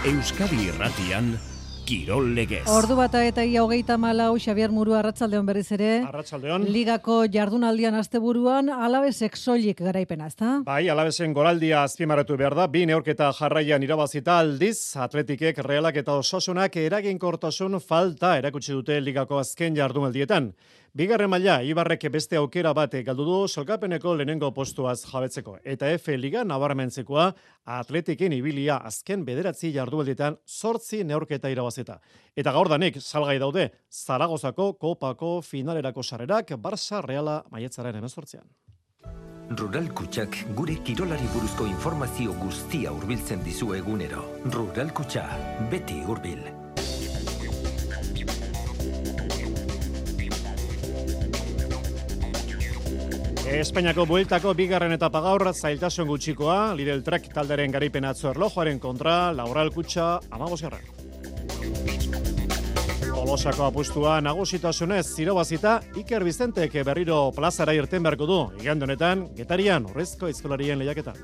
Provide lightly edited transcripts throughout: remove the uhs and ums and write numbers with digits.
Euskadi Irratian Kirol Legez. Ordu bata eta ia 34, Xabier Muru, arratsaldeon berriz ere. Arratsaldeon. Ligako jardunaldian asteburuan Alavesek soilik garaipena, ezta? Bai, Alavesen goraldia azpimarratu behar da. 2 neurketa jarraian irabazita aldiz, Atletikek, Realak eta Osasunak eraginkortasun falta erakutsi dute ligako azken jardunaldietan. Bigarren maila, Ibarrek beste aukera bat galdu du sailkapeneko lehenengo postuaz jabetzeko. Eta F Liga nabarmentzekoa Atletiken ibilia azken 9 jardunaldietan 8 neurketa irabazita. Eta gaurdanik salgai daude Zaragozako Kopako finalerako sarrerak Barça Reala maiatzaren 18an. Rural Kutxak gure kirolari buruzko informazio guztia hurbiltzen dizu egunero. Rural Kutxa, beti hurbil. Espainiako bueltako bigarren etapa gaur zailtasun gutxikoa, Lidl Trek talderen garipena atzo erlojuaren kontra, Rural Kutxa 15. Tolosako apustua nagusitasunez irabazita, Iker Bizentek berriro plazara irten beharko du, igande honetan, Getarian Urrezko aizkolarien lehiaketa.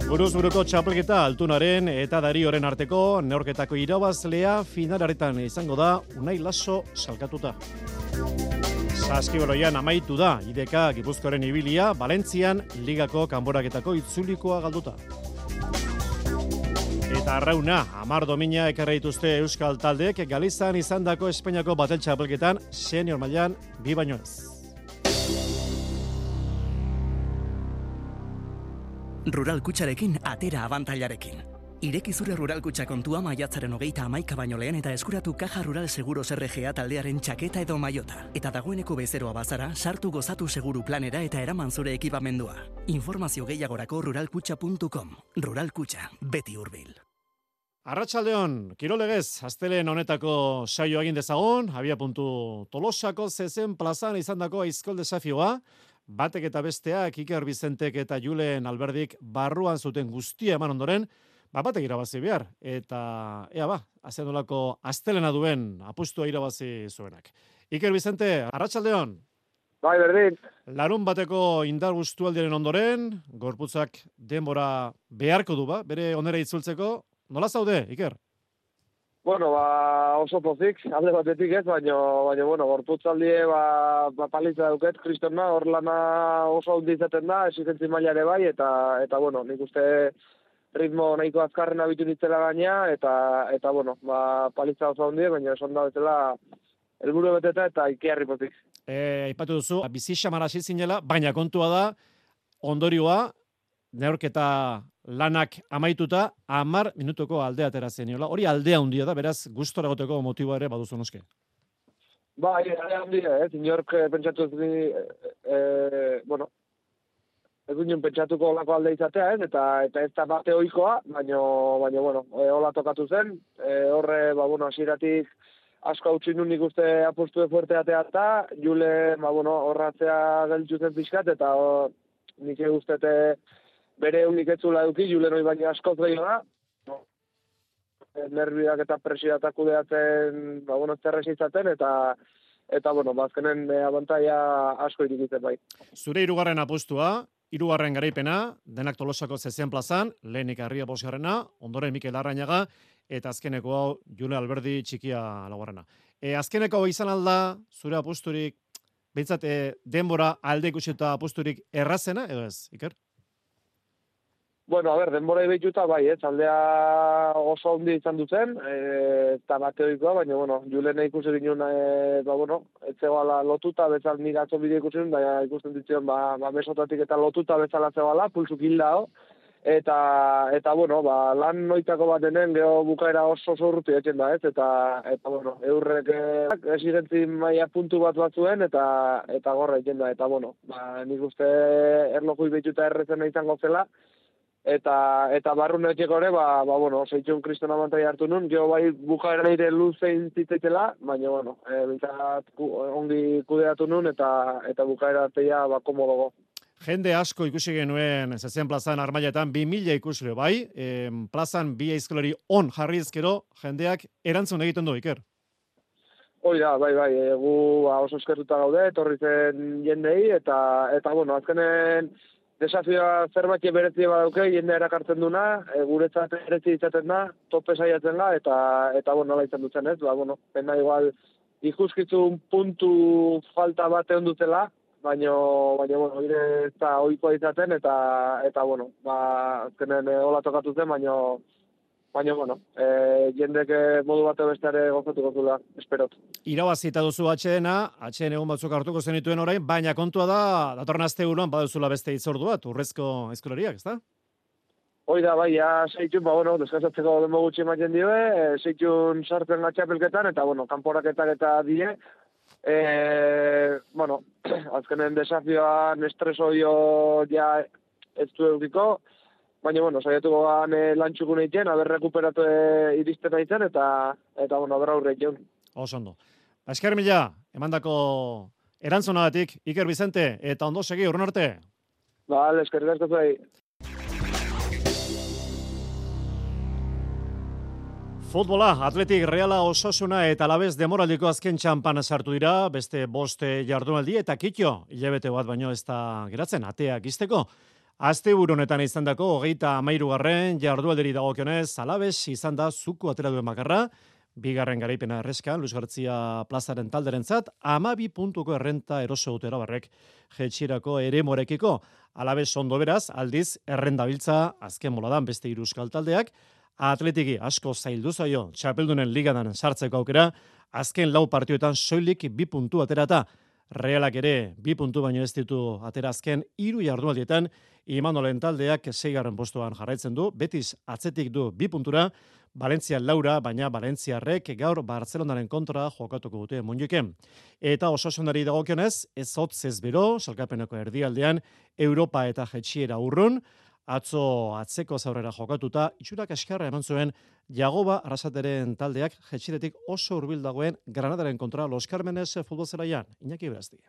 Buruz-buruko txapelketa Altunaren eta Darioren arteko neurketako irabazlea finalaretan izango da Unai Laso salkatuta. Saskibaloian amaitu da IDK Gipuzkoaren ibilia, Valentzian ligako kanboraketako itzulikoa galduta. Eta arrauna, 10 domina ekarri dituzte euskal taldeek Galizan izandako Espainiako batel txapelketan senior mailan 2 baino ez. Rural Kutxarekin atera abantailarekin. Ireki zure Rural Kutxa kontua maiatzaren 31 baino lehen eta eskuratu Caja Rural Seguros RGA taldearen txaketa edo maiota. Eta dagoeneko bezeroa bazara, sartu gozatu seguru planera eta eraman zure ekipamendua. Informazio gehiagorako ruralkutxa.com. Rural Kutxa, beti hurbil. Arratsaldeon, Kirol Legez, astelen honetako saio egin dezagun, abiapuntu Tolosako zezen plazan izandako aizkol desafioa, batek eta besteak Iker Bizentek eta Julen Alberdik barruan zuten guztia eman ondoren, batek irabazi behar, eta azenolako astelena duen apustua irabazi zuenak. Iker Bizente, arratsaldeon. Bai, berdin. Larun bateko indar guztualdiaren ondoren, gorputzak denbora beharko du bere onera itzultzeko. Nola zaude, Iker? Bueno, oso pozik, alde batetik ez, baina gorputzaldie palitza dauket, kristona, hor lana oso handi izaten da, exigentzia maila ere bai, eta nik uste ritmo nahiko azkarren abitu nitzela gaina, eta palitza oso handi, baina esan da betela helburu beteta eta ikiarri pozik. Aipatu duzu, bizi xamar hasi zinela, baina kontua da, ondorioa, neurketa lanak amaituta, 10 minutuko aldea atera zeniola. Hori aldea handia da, beraz, gustora egoteko motiboa ere baduzu noske. Bai, aldea handia, inork pentsatu ez duen pentsatuko olako alde izatea, eta ez da bate ohikoa, baina hola tokatu zen, horre, hasieratik asko hautsi nun nik uste apustu fuerteatea eta, Jule, horratzea geltzu zen pixkat, eta nik eguztete bere unik etzula eduki, Julen hori baina askoz gehiago da, nerviak eta presioatak kudeatzen, zerrez izaten, eta azkenen abantaia asko irikitzen bai. Zure 3. apustua, 3. garaipena, denak Tolosako zezen plazan, lehenik Arria 5. ondoren Mikel Arrainaga, eta azkeneko hau Jule Alberdi txikia 4. Azkeneko hau izan alda, zure apusturik, behintzat denbora alde ikusita apusturik errazena, edo ez, Iker? Bueno, denbora ibeituta bai, aldea oso handi izan duzen, eta bateoikoa, baina, Julen ikusi ginen, etzegoala lotuta, bezal nik atzo bideo ikusi ginen, baina ikusten ditzion, mesotatik eta lotuta bezala zegoala, pulsuk hilda ho, eta lan noitako bat denen, geho bukaera oso urruti etxen da, eta eurrek esigentzi maia puntu bat zuen, eta gorra etxen da, eta nik uste erloju ibeituta errezena izango zela, eta barrun etxeko ere, zeitxun kristona mantai hartu nun, jo bai bukaera nire luzein zitzaitela, baina, bintzat ongi kudeatu nun, eta bukaera arteia komodogo. Jende asko ikusi genuen zezen plazan Armailetan 2000 ikusle bai, plazan 2 aizkolari on jarri ezkero, jendeak erantzun egiten du, Iker. Hoi da, bai, gu oso eskertuta gaude, etorri zen jendei, eta azkenen desafioa zerbait berezi badauke, jende erakartzen duna, guretzat berezi izaten da, tope saiatzen da, eta nola izan dutzen ez, pena igual ikuskitzun puntu falta bat egon dutela, baina hire ez da ohikoa izaten, eta azkenen hola tokatu zen, baina jendek modu bat besteare gozatuko zula, esperot. Irabazita duzu atxeen egun batzuk hartuko zenituen orain, baina kontua da, datorren asteburuan baduzula beste hitzordu bat, urrezko aizkolariak, ezta? Hoi da, bai, seitxun, deskazatzeko denbo gutxi ematen dioe, seitxun sartzen gatxapelketan, eta, kanporaketak eta die. Azkenen desafioan estresoio ja ez du eukiko, baina, saiatuko gan lantxukun egiten, haber rekuperatu iristen egiten, eta haber aurre egiten. Osondo. Esker mila, emandako erantzunagatik, Iker Bizente, eta ondo segi, urren arte. Bale, eskerrik asko zuei. Futbola, Atletik, Reala, Osasuna eta Alavés demoraldiko azken txampan sartu dira, beste 5 jardunaldi eta kitxo, hilabete bat baino ez da geratzen, ateak izteko. Asteburu honetan izandako 33. jardualderi dagokionez, Alavés izan da zuku atera duen bakarra, bigarren garaipena erreskan, Luis Gartzia plazaren talderentzat, 12 puntuko errenta eroso dute Arabarrek jetxirako eremorekiko. Alavés ondo beraz, aldiz errendabiltza azken moladan beste 3 euskal taldeak, Atletiki asko zaildu zaio txapeldunen ligadan sartzeko aukera, azken 4 partioetan soilik 2 puntu aterata. Realak ere 2 puntu baino ez ditu atera azken 3 jardunaldietan, Imanolen taldeak 6. postuan jarraitzen du, Betis atzetik du 2 puntura, Valencia laura, baina Valentziarrek gaur Barcelonaren kontra jokatuko dute Montjuiken. Eta Osasunari dagokionez, ez hotz ez bero, salkapeneko erdialdean, Europa eta jetxiera urrun, atzo atzeko zaurrera jokatuta, itxurak eskarra eman zuen Jagoba Arrasateren taldeak jetxiretik oso hurbil dagoen Granadaren kontra Los Carmenes futbolzelaian. Iñaki Berazti.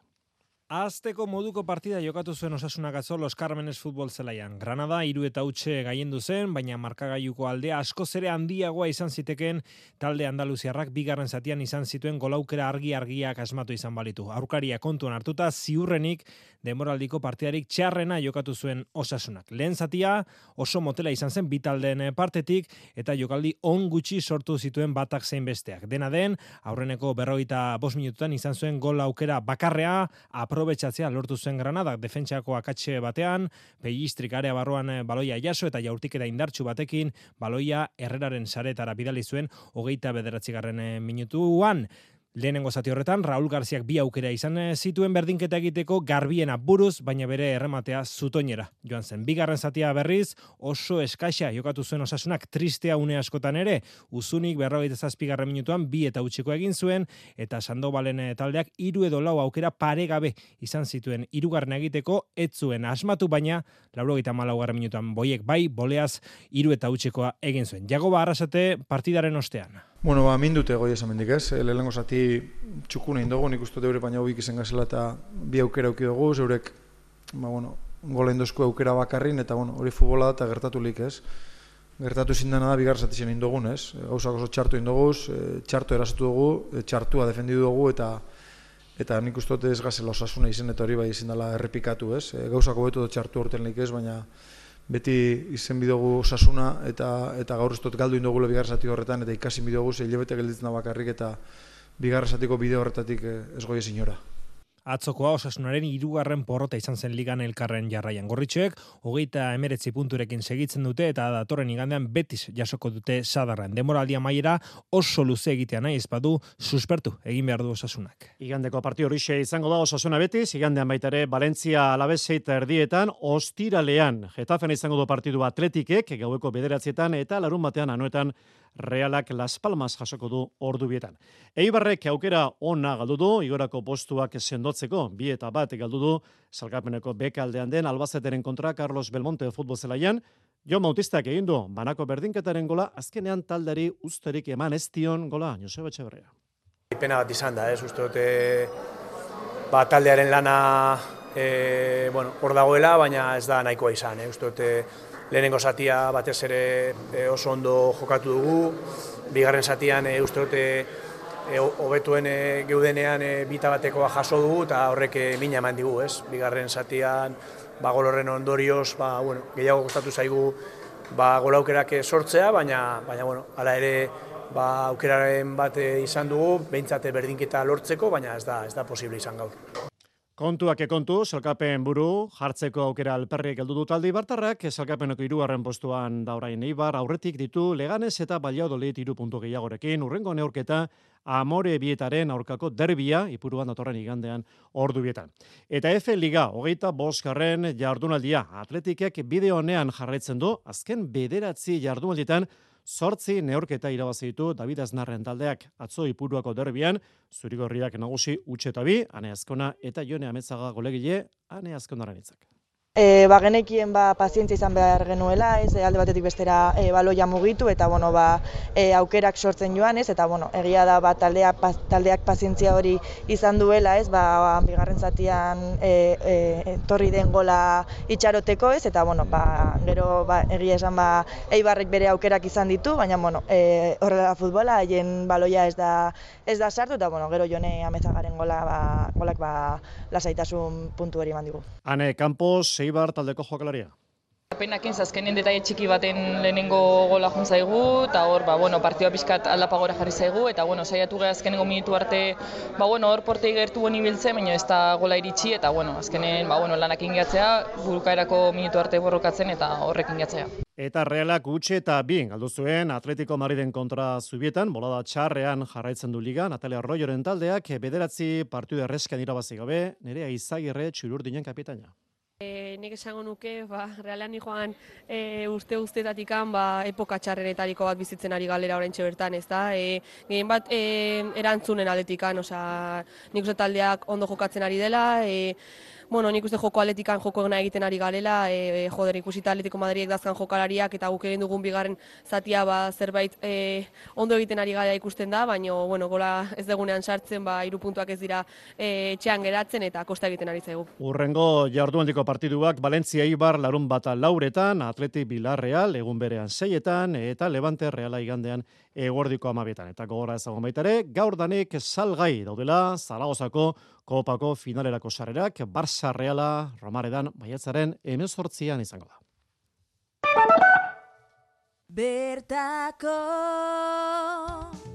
Azteko moduko partida jokatu zuen Osasunak atzo Los Carmenes futbolzelaian. Granada 3-0 gaiendu zen, baina markagailuko aldea askoz ere handiagoa izan ziteken talde andaluziarrak bigarren zatian izan zituen golaukera argiak asmatu izan balitu. Aurkaria kontuan hartuta ziurrenik denboraldiko partidarik txarrena jokatu zuen Osasunak. Lehen zatia oso motela izan zen bi taldeen partetik eta jokaldi on gutxi sortu zituen batak zein besteak. Dena den, aurreneko 45 minututan izan zuen gol aukera bakarrea, aprobetxatzea lortu zuen Granadak defentsako akatxe batean, Pellistrik area barruan baloia jaso eta jaurtiketa indartsu batekin baloia Herreraren saretara bidali zuen 29. minutuan. Lehenengo zati horretan, Raúl Garziak 2 aukera izan zituen berdinketa egiteko garbiena buruz, baina bere errematea zutoinera. Joan zen, bigarren zatia berriz, oso eskaxa jokatu zuen Osasunak tristea une askotan ere, Uzunik 47. minutuan 2-0 egin zuen, eta Sandobalen taldeak 3 edo 4 aukera paregabe izan zituen hirugarren egiteko, ez zuen asmatu, baina 94. minutuan boiek bai, boleaz 3-0 egin zuen. Jagoba Arrasate partidaren ostean. Mindute goi esan mendik ez, lehenengo zati txukuna indogu, nik uste deure baina hobik izan gazela eta 2 aukera auki dugu, zeurek, gola indozko aukera bakarrin, eta hori futbola da eta gertatulik ez. Gertatu zindana da bigar zati zen indogun ez, gauzak oso txartu indoguz, txartu erasatu dugu, txartua defendidu dugu eta nik uste ez gazela Osasuna izen eta hori bai izin dela errepikatu ez. Gauzak hobetu dut txartu hortenlik ez, baina beti izen bidogu Osasuna eta gaur ez dut galdu indogule bigarren zati horretan eta ikasin bidogu hilabete gelditzen da bakarrik eta bigarren zatiko bideo horretatik ez goi ezin ora. Atzokoa Osasunaren 3. porrota izan zen ligan elkarren jarraian. Gorritxoek 39 punturekin segitzen dute eta datorren igandean Betis jasoko dute sadarran. Demoraldia amaiera oso luze egitea nahi ezpadu suspertu egin behar du Osasunak. Igandeko partio horixe izango da Osasuna Betis, igandean baita ere Valencia Alavés 7:30 ostiralean. Getafen izango du partidu Atletikek gaueko 9:00 eta larun batean anuetan Realak Las Palmas jasoko du ordubietan. Eibarrek aukera ona galdu du, igorako postuak sendotzeko, 2-1 galdu du, salkapeneko bekaldean den Albazeteren kontra Carlos Belmonte futbolzelaian, Jon Bautistak egin du, banako berdinketaren gola, azkenean taldari usterik eman ez dion gola, Joseba Etxeberria. Pena bat izan da, uste dute taldearen lana hor dagoela, baina ez da nahikoa izan, uste dute lehenengo zatia batez ere oso ondo jokatu dugu, bigarren zatian uste dute hobetuen geudenean bita batekoa jaso dugu eta horrek mina eman digu, ez? Bigarren zatian gol horren ondorioz, gehiago gustatu zaigu gol aukerak sortzea, baina hala ere aukeraren bat izan dugu, behintzat berdinketa lortzeko, baina ez da posible izan gaur. Kontuak kontu, sailkapen buru, jartzeko aukera alperrik heldu du talde Ibartarrak, sailkapeneko 3. postuan da orain Eibar, aurretik ditu Leganes eta Valladolid 3 puntu gehiagorekin, hurrengo neurketa Amore Bietaren aurkako derbia, Ipuruan datorren igandean ordu bietan. Eta F Liga, 25. jardunaldia, Atletikek bide honean jarraitzen du, azken 9 jardunaldietan 8 neurketa irabazi ditu David Aznarren taldeak. Atzo Ipuruako derbian, zurigorriak nagusi Utxe 2, Ane Azkona eta Jone Ametzaga golegile, Ane Azkonaren hitzak. Genekien pazientzia izan behar genuela, alde batetik bestera baloia mugitu eta aukerak sortzen joan, eta egia da taldeak pazientzia hori izan duela, bigarren zatian torri den gola itxaroteko, eta gero egia esan Eibarrek bere aukerak izan ditu, baina horrela futbola, haien baloia ez da sartu, eta gero Jone Amezagaren golak lasaitasun puntu hori eman digu. Ane Campos, Eibar taldeko jokalaria. Penakin azkenen detaile txiki baten lehenengo gola jun zaigu, eta hor, partidua pixkat aldapagora jarri zaigu, eta saiatu gara azkenengo minutu arte, hor portei gertu honi biltzen, baina ez da gola iritsi, eta azkenen lanak ingatzea, burukaerako minutu arte borrokatzen, eta horrek ingatzea. Eta Realak Utxe eta 2 galdu zuen Atletico Madriden kontra Zubietan, bolada txarrean jarraitzen du liga, Natalia Arroyoren taldeak 9 partidu erreskan irabazi gabe, Nerea Izagirre Txururdinen kapitaina. Nik esango nuke, Realean joan uste-ustetatik epoka txarrenetariko bat bizitzen ari galera oraintxe bertan, ez da? Gehien bat erantzunen aldetikan, nik uste taldeak ondo jokatzen ari dela, nik uste joko atletikan joko egina egiten ari garela, ikusita Atletico Madridek dazkan jokalariak eta guk egin dugun bigarren zatia zerbait ondo egiten ari gara ikusten da, baina gola ez degunean sartzen, 3 puntuak ez dira etxean geratzen eta kosta egiten ari zaigu. Urrengo jardunaldiko partiduak Valencia Eibar larunbata 4etan, Atleti Villarreal egun berean 6etan eta Levante Reala igandean eguerdiko 12etan. Eta gogora ezagun baitare, gaur danik salgai daudela Zaragozako Kopako finalerako sarrerak, Barça Reala Romaredan maiatzaren 18an izango da. Bertako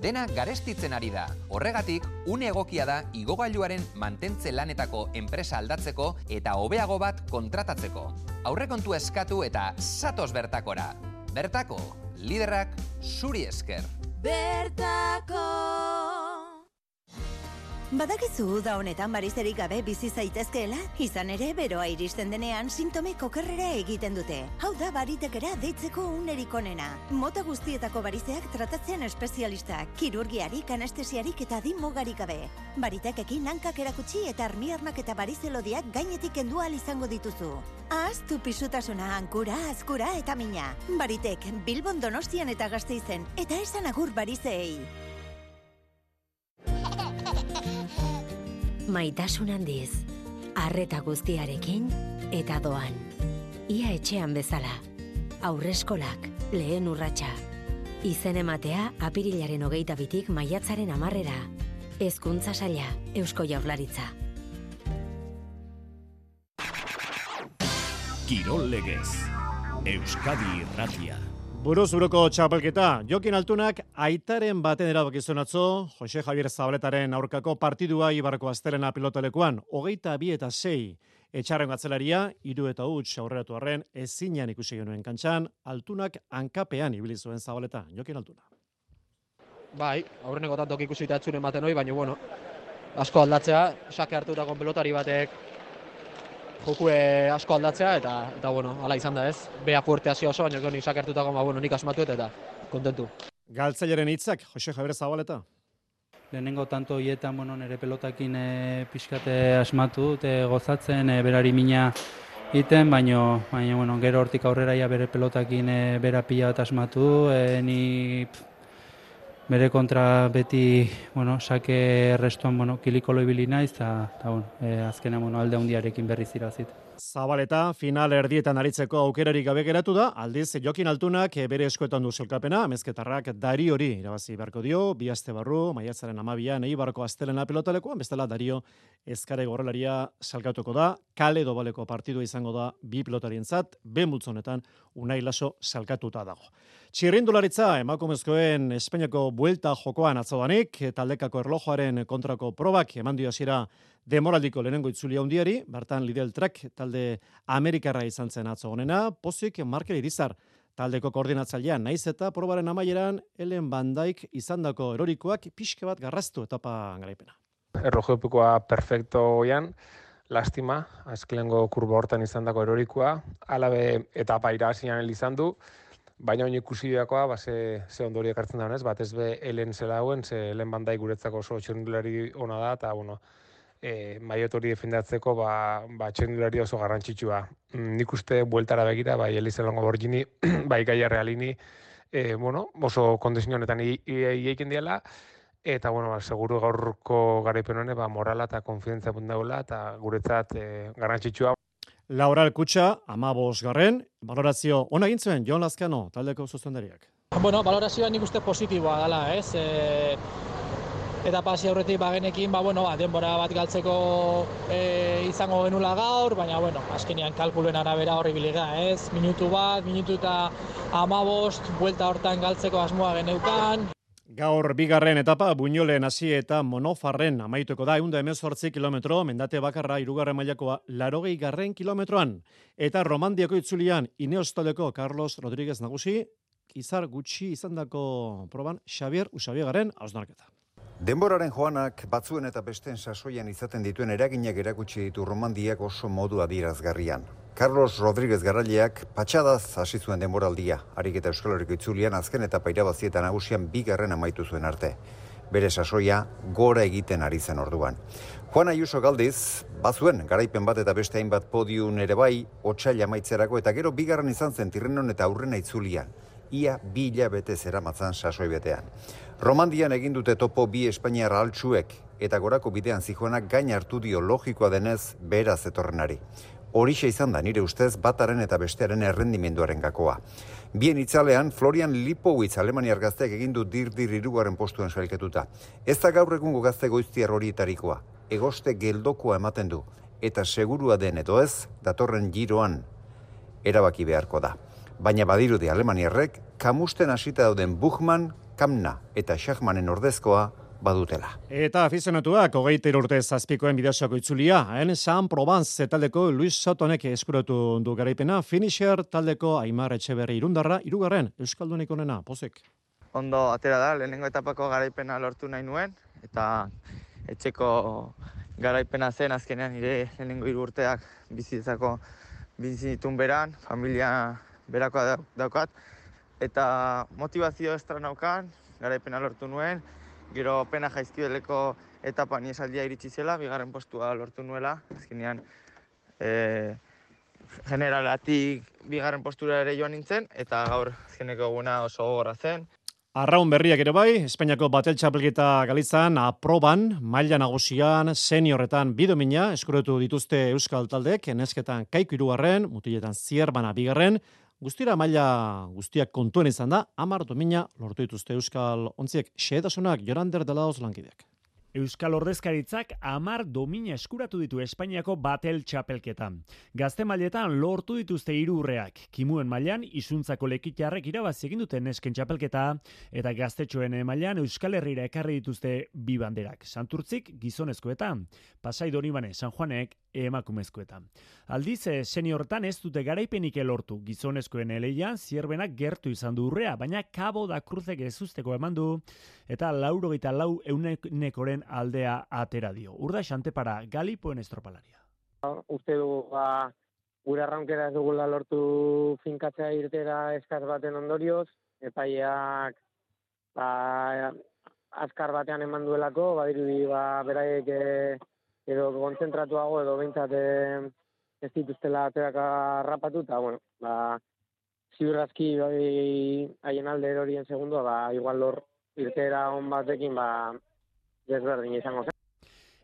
Dena garestitzen ari da. Horregatik, une egokia da igogailuaren mantentze lanetako enpresa aldatzeko eta hobeago bat kontratatzeko. Aurrekontu eskatu eta zatoz bertakora. Bertako, liderrak zuri esker. Bertako Badakizu da honetan barizerik gabe bizi zaitezkeela, izan ere beroa iristen denean sintomek okerrera egiten dute. Hau da baritekera deitzeko unerik onena. Mota guztietako barizeak tratatzean espezialistak, kirurgiarik, anestesiarik eta mugarik gabe. Baritekekin hankak erakutsi eta armiarmak eta barizelodiak gainetik kendu ahal izango dituzu. Ahaztu pisutasuna, hankura, azkura eta mina. Baritek, Bilbon, Donostian eta Gasteizen, eta esan agur barizeei. Maitasun handiz, arreta guztiarekin eta doan. Ia etxean bezala. Aurreskolak, lehen urratsa. Izen ematea apirilaren 22tik maiatzaren 10era. Hezkuntza saila, Eusko Jaurlaritza. Kirol legez, Euskadi Irratia. Buruz-buruko txapelketa, Jokin Altunak aitaren baten erabakizun atzo, Jose Javier Zabaletaren aurkako partidua Ibarko Astelena pilotalekuan, 22-6, etxarren gatzelaria, 3-huts aurreratu arren, ezinean ikusi genuen kantxan, Altunak hankapean ibili zuen Zabaleta, Jokin Altuna. Bai, aurreneko tantok ikusi tatzuren baten hori, baina asko aldatzea, sake hartutako pelotari batek jokue asko aldatzea, eta hala izan da ez. Bea fuerte hasi oso, baina nik sake hartutako, nik asmatu eta kontentu. Galtzaileren hitzak, Jose Javier Zabaleta. Lehenengo tanto hietan nire pelotakin pixkate asmatu, gozatzen, berari mina iten, baina gero hortik aurrera bere pelotakin bera pila bat asmatu, ni bere kontra beti, sake restuan kilikolo ibili naiz, eta azkenean alde handiarekin berriz irazit. Zabaleta final erdietan aritzeko aukerarik gabe geratu da, aldiz Jokin Altunak bere eskuetan du sailkapena, Amezketarrak Dari hori irabazi beharko dio, bi aste barru, maiatzaren 12an Eibarko astelena pilotalekuan, bestela Dario Ezkare gorrelaria salkatuko da, kale dobaleko partidua izango da bi pilotarientzat, ben multzonetan Unai Laso salkatuta dago. Txirrindularitza emakumezkoen Espainiako buelta jokoan atzodanik, taldekako erlojoaren kontrako probak eman dio hasiera demoraldiko lehenengo itzulia hundiari, bertan Lidl Trek talde Amerikarra izan zen atzo honena, pozik Markel Irizar taldeko koordinatzailea, naiz eta probaren amaieran Ellen Van Dijk izandako erorikoak pixke bat garraztu etapa garaipena. Erlojopikoa perfecto oian, lastima, azkelengo kurba hortan izandako erorikoa, alabe etapa irazian izan du, baina oin ikusi dakoa, ze ondori ekartzen da honez, batez be Ellen zela hauen, ze Ellen Van Dijk guretzako oso txirrindulari ona da, eta maiot hori defendatzeko txirrindulari oso garrantzitsua. Nik uste bueltara begira, bai Elisa Longo Borgini, bai Gaia Realini, oso kondizio honetan ieiken diela, eta seguru gaurko garaipen honek morala eta konfidentzia puntagoela, eta guretzat garrantzitsua. Laura Kutxa, 15garren, balorazio ona egin zuen Jon Lazkano taldeko zuzendariak. Balorazioa nik uste positiboa dela, ez? Eta pasi aurretik bagenekin, denbora bat galtzeko izango genula gaur, baina azkenean kalkuluen arabera horri bilega, ez? Minutu eta 15, buelta hortan galtzeko asmoa geneukan. Gaur bigarren etapa Buñolen hasi eta Monofarren amaituko da 118 kilometro, mendate bakarra 3. mailakoa 80. kilometroan. Eta Romandiako itzulian Ineostoleko Carlos Rodríguez nagusi, izar gutxi izandako proban Xavier Usabiagaren hausnarketa. Denboraren joanak batzuen eta besteen sasoian izaten dituen eraginak erakutsi ditu Romandiak oso modu adierazgarrian. Carlos Rodríguez garaileak patxadaz hasi zuen denboraldia, harik eta Euskal Herriko itzulian azken etapa irabazi eta nagusian 2. amaitu zuen arte. Bere sasoia gora egiten ari zen orduan. Juan Ayuso galdiz, bazuen garaipen bat eta beste hainbat podium ere bai, otsail amaitzerako eta gero 2. izan zen Tirrenon eta Aurrena itzulian. Ia 2 hilabete zeramatzan sasoi betean. Romandian egin dute topo 2 Espainiar altsuek eta gorako bidean zijoanak gain hartu dio logikoa denez beraz etorrenari. Horixe izan da nire ustez bataren eta bestearen errendimenduaren gakoa. Bien itzalean, Florian Lipowitz Alemaniar gazteak egin du dir-dir 3. postuan sailketuta. Ez da gaur egungo gazte goiztiar horietarikoa. Egoste geldokoa ematen du. Eta segurua den edo ez, datorren giroan erabaki beharko da. Baina badirudi Alemaniarrek, kamusten hasita dauden Buchmann, Kamna eta Schachmannen ordezkoa badutela. Eta afizionatuak 23 urte zazpikoen bideosako itzulia, San Provence taldeko Luis Sotonek eskuratu du garaipena, finisher taldeko Aimar Etxeberri Irundarra, 3. Euskaldunik onena, pozik. Ondo atera da, lehenengo etapako garaipena lortu nahi nuen, eta etxeko garaipena zen azkenean nire lehenengo 3 urteak bizitun beran, familia berakoa daukat, eta motivazio estra naukan, garaipena lortu nuen, gero pena jaizkibeleko etapa niesaldia iritsi zela, 2. postua lortu nuela, azkenean generalatik 2. postura ere joan nintzen, eta gaur azkeneko eguna oso gogorra zen. Arraun berriak ere bai, Espainiako batel txapelketa Galizan, aproban, maila nagusian, seniorretan bidomina, eskuratu dituzte Euskal taldek, nesketan Kaiku 3, mutiletan Zierbana 2, guztira maila guztiak kontuen izan da, 10 domina lortu dituzte Euskal ontziek, xehetasunak Jorander Delaoz lankideak. Euskal Ordezkaritzak 10 domina eskuratu ditu Espainiako batel txapelketan. Gazte mailetan lortu dituzte 3 urreak. Kimuen mailan isuntzako lekitarrek irabazi egin duten nesken txapelketa eta gaztetxoen mailan Euskal Herrira ekarri dituzte 2 banderak. Santurtzik gizonezkoetan, Pasai Donibane San Juanek emakumezkoetan. Aldiz, seniortan ez dute garaipenik lortu. Gizonezkoen eleian Zierbenak gertu izan du urrea, baina Cabo da Cruzek ezusteko eman du eta 94% aldea atera dio. Urda Xantepara, Galipoen estropalaria. Uste du, gure arraunkera ez dugula lortu finkatzea irtera eskaz baten ondorioz, epaileak azkar batean eman duelako, badirudi beraiek edo kontzentratuago edo behintzat ez dituztela aterak harrapatu, eta ziurrazki haien alde erorien segundua, igual lor irtera on batekin desberdin izango zen.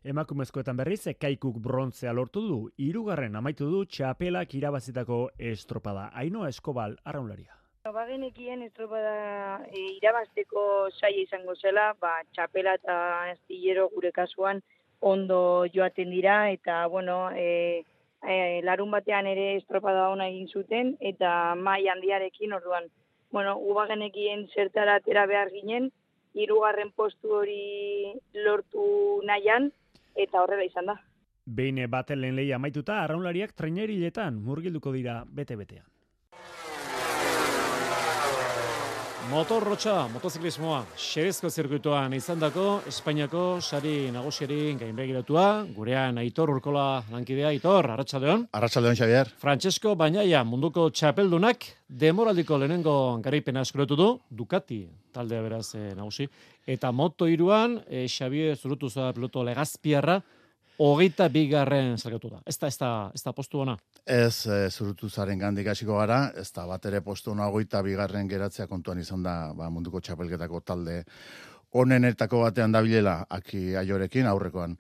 Emakumezkoetan berriz, Kaikuk brontzea lortu du, 3. amaitu du txapelak irabazitako estropada. Ainhoa Eskobal, arraunlaria. Bagenekien estropada irabazteko saia izango zela, txapela eta astillero gure kasuan ondo joaten dira, eta larun batean ere estropada ona egin zuten, eta mai handiarekin orduan. Ubagenekien zertara atera behar ginen, 3. postu hori lortu nahian, eta horrela izan da. Behin baten lehen lehia amaituta, arraunlariak traineriletan murgilduko dira bete-betean. Motorrotxa, motoziklismoa, xerezko zirkuituan izandako Espainiako sari nagusiari gainbegiratua, gurean Aitor Urkola lankidea. Aitor, arratsaldeon. Arratsaldeon, Xavier. Francesco Bagnaia, munduko txapeldunak, demoraldiko lehenengo garaipena eskuratu du, Ducati taldea beraz nagusi, eta Moto3an, Xavier Zurutuza piloto Legazpiarra, 22. zergatu da. Ez da postu ona? Ez Zurutuzaren gandik hasiko gara, ez da bat ere postu ona 22. geratzea kontuan izan da munduko txapelketako talde onenetako batean dabilela Aki Aiorekin aurrekoan.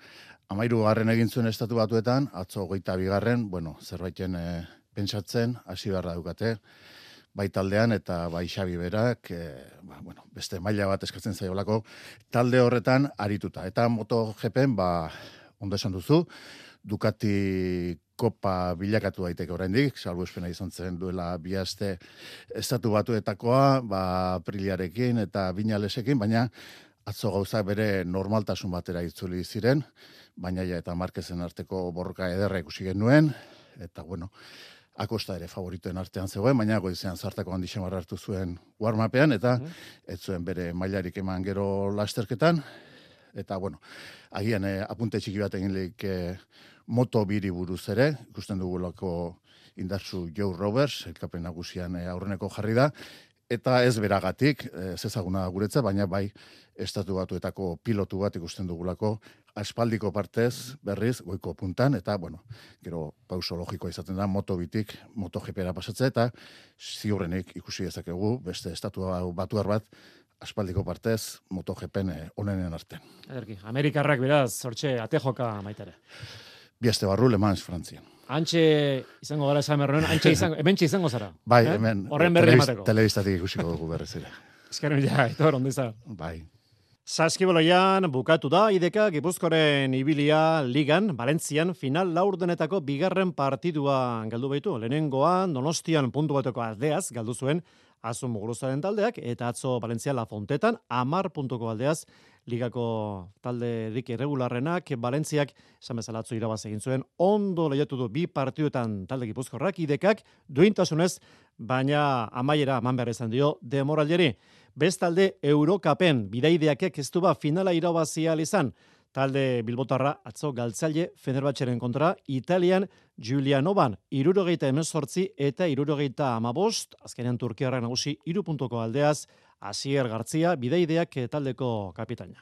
13. egin zuen Estatu Batuetan, atzo 22. Zerbaiten pentsatzen, hasi beharra dukate, bai taldean eta bai Xabi berak, beste maila bat eskatzen zaiolako talde horretan arituta. Eta MotoGPen, ondo esan duzu, Ducati kopa bilakatu daiteke oraindik, salbuespena izan zen duela 2 aste Estatu Batuetakoa, Apriliarekin eta Viñalesekin, baina atzo gauza bere normaltasun batera itzuli ziren, baina eta Marquezen arteko borroka ederra ikusi genuen, eta Acosta ere favoritoen artean zegoen, baina goizean zartako handi xamarra hartu zuen warm-upean, eta ez zuen bere mailarik eman gero lasterketan, eta agian apunte txiki bat egin lehik Moto2 buruz ere, ikusten dugulako indartsu Joe Roberts, elkapen nagusian aurreneko jarri da, eta ez beragatik, ez ezaguna guretza, baina bai Estatu Batuetako pilotu bat ikusten dugulako aspaldiko partez berriz goiko puntan, eta gero pauso logikoa izaten da Moto2tik MotoGPera pasatzea, eta ziurrenik ikusi dezakegu beste Estatu Batuar bat aspaldiko partez MotoGPen onenen artean. Amerikarrak beraz, hortxe, atejoka maitare. 2 aste barru Le Mans Frantzian. Antxe izango gara esan berroen, hementxe izango zara. Bai, hemen. Horren berri emateko. Telebistatik ikusiko dugu berriz ere. Eskerren Aitor, ondo izan. Bai. Saskiboloian bukatu da IDK Gipuzkoaren ibilia ligan, Valentzian final laurdenetako 2. partidua galdu baitu. Lehenengoan Donostian puntu bateko aldeaz galdu zuen Azun Muguruzaren taldeak, eta atzo Valentzia La Fontetan 10 puntuko aldeaz ligako talde dik irregularrenak, Valentziak esan bezala atzo irabaz egin zuen, ondo lehiatu du 2 partiduetan talde Gipuzkoarrak, IDKak duintasunez, baina amaiera eman behar izan dio demoraldiari. Bestalde Eurokapen bidaideakek ez du finala irabazia izan. Talde bilbotarra atzo galtzaile Fenerbahçeren kontra Italian Giulianoban 78 eta 75, azkenean Turkiarra nagusi 3 puntuko aldeaz, Asier Gartzia bidaideak taldeko kapitaina.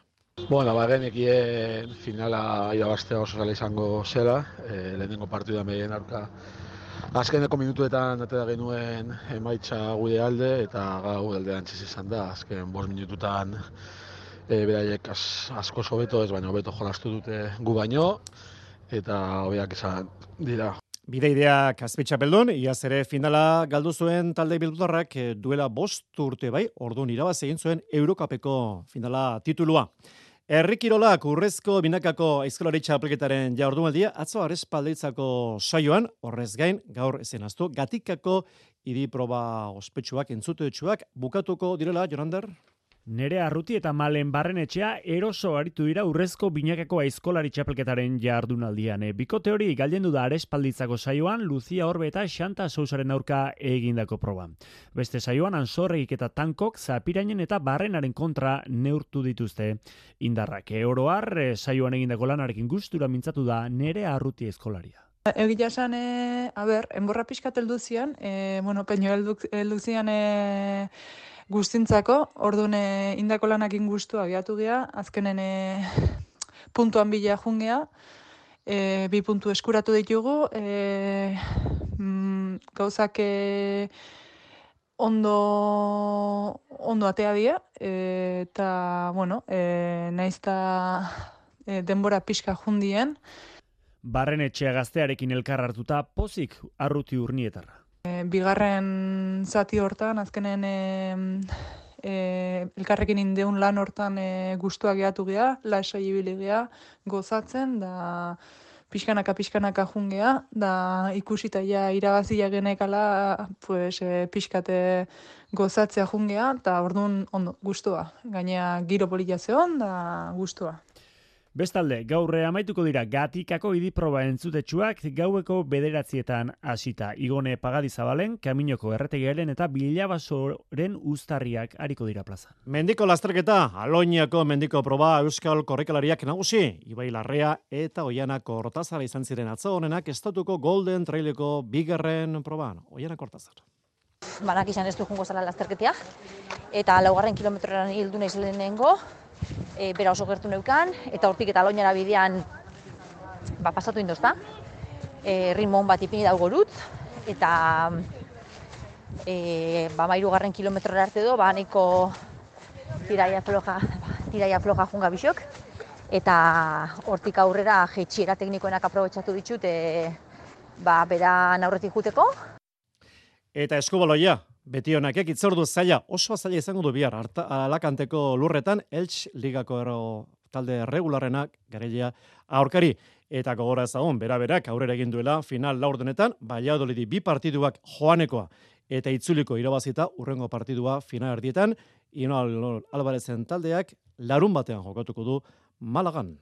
Bagenekien finala irabaztea oso zela izango zela, lehenengo partida meien aurka. Azkeneko minutuetan atera genuen emaitza gude alde, eta gau aldean txiz izan da, azken 5 minututan beraiek asko hobeto ez, baina hobeto jolastu dute gu baino, eta hobeak izan dira. Bideideak azpitxapeldun, iaz ere finala galdu zuen talde bilbotarrak duela 5 urte bai, orduan irabaz egin zuen Eurokapeko finala titulua. Herrikirolak urrezko binakako aizkolari txapelketaren jardunaldia atzo Arespaldeitzako saioan, horrez gain, gaur ezenaztu, Gatikako hiri proba ospetsuak, entzutetsuak, bukatuko direla, Jonander? Nerea Arruti eta Malen Barrenetxea eroso aritu dira urrezko binakako aizkolari txapelketaren jardunaldian. Bikote hori galdendu da Arespalditzako saioan, Lucia Orbe eta Xanta Sousaren aurka egindako proba. Beste saioan Ansorregik eta Tankok Zapirainen eta Barrenaren kontra neurtu dituzte indarrak. Oroar saioan egindako lanarekin gustura mintzatu da Nerea Arruti aizkolaria. Egia esan, enborra pixkat elduzian, peño elduzian guztintzako, orduan indako lanakin guztu abiatu gea, azkenen puntuan bila jungea, 2 puntu eskuratu ditugu, gauzak ondo atea dira, eta, naizta denbora pixka jundien. Barrenetxea gaztearekin elkar hartuta pozik Arruti Urnietarra. Bigarren zati hortan, azkenen elkarrekin indeun lan hortan gustuak gehiatu geha, lasai ibili geha, gozatzen, da pixkanaka jungea, da ikusita ja irabazia genekala, pues, pixkate gozatzea jungea, eta orduan ondo, gustua. Gainea giro polita zeon, da gustua. Bestalde, gaur amaituko dira Gatikako idiproba entzutetsuak gaueko 9:00 hasita. Igone Pagadizabalen, Kaminoko erretegiaren eta Bilabasoren uztarriak ariko dira plazan. Mendiko lasterketa, Aloñako mendiko proba euskal korrikalariak nagusi, Ibai Larrea eta Oiana Kortazar izan ziren atzo honenak estatuko Golden Traileko bigarren proban. Oiana Kortazar. Banak izan ez du jungo zala lasterketia, eta 4 kilometroran hildu naiz lehenengo, bera oso gertu neukan, eta hortik eta Aloñara bidean pasatu indozta. Ritmo on bat ipini daugorut, eta 3. kilometrora arte do, nahiko tiraia floja junga bisok, eta hortik aurrera jetxiera teknikoenak aprobetxatu ditut, bera aurretik juteko. Eta eskubaloia. Beti honakek itzordu zaila, oso zaila izango du bihar, Alakanteko lurretan, Elche ligako talde regularrenak, garailea aurkari, eta gogora ezagun, bera-berak aurrera egin duela, final laurdenetan, Valladolidi 2 partiduak joanekoa, eta itzuliko irabazita, urrengo partidua final erdietan, Ino Albarezen taldeak larun batean jokatuko du Malagan.